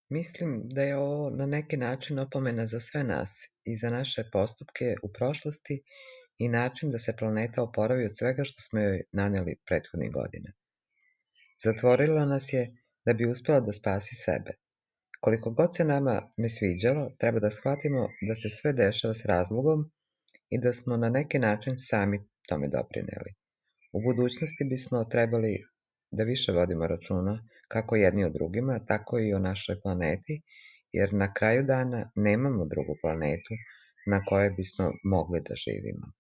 Mislim da je ovo na neki način opomena za sve nas i za naše postupke u prošlosti i način da se planeta oporavi od svega što smo joj naneli prethodnih godina. Zatvorila nas je da bi uspela da spasi sebe. Koliko god se nama ne sviđalo, treba da shvatimo da se sve dešava s razlogom i da smo na neki način sami tome doprineli. U budućnosti bismo trebali da više vodimo računa kako jedni o drugima, tako i o našoj planeti, jer na kraju dana nemamo drugu planetu na kojoj bismo mogli da živimo.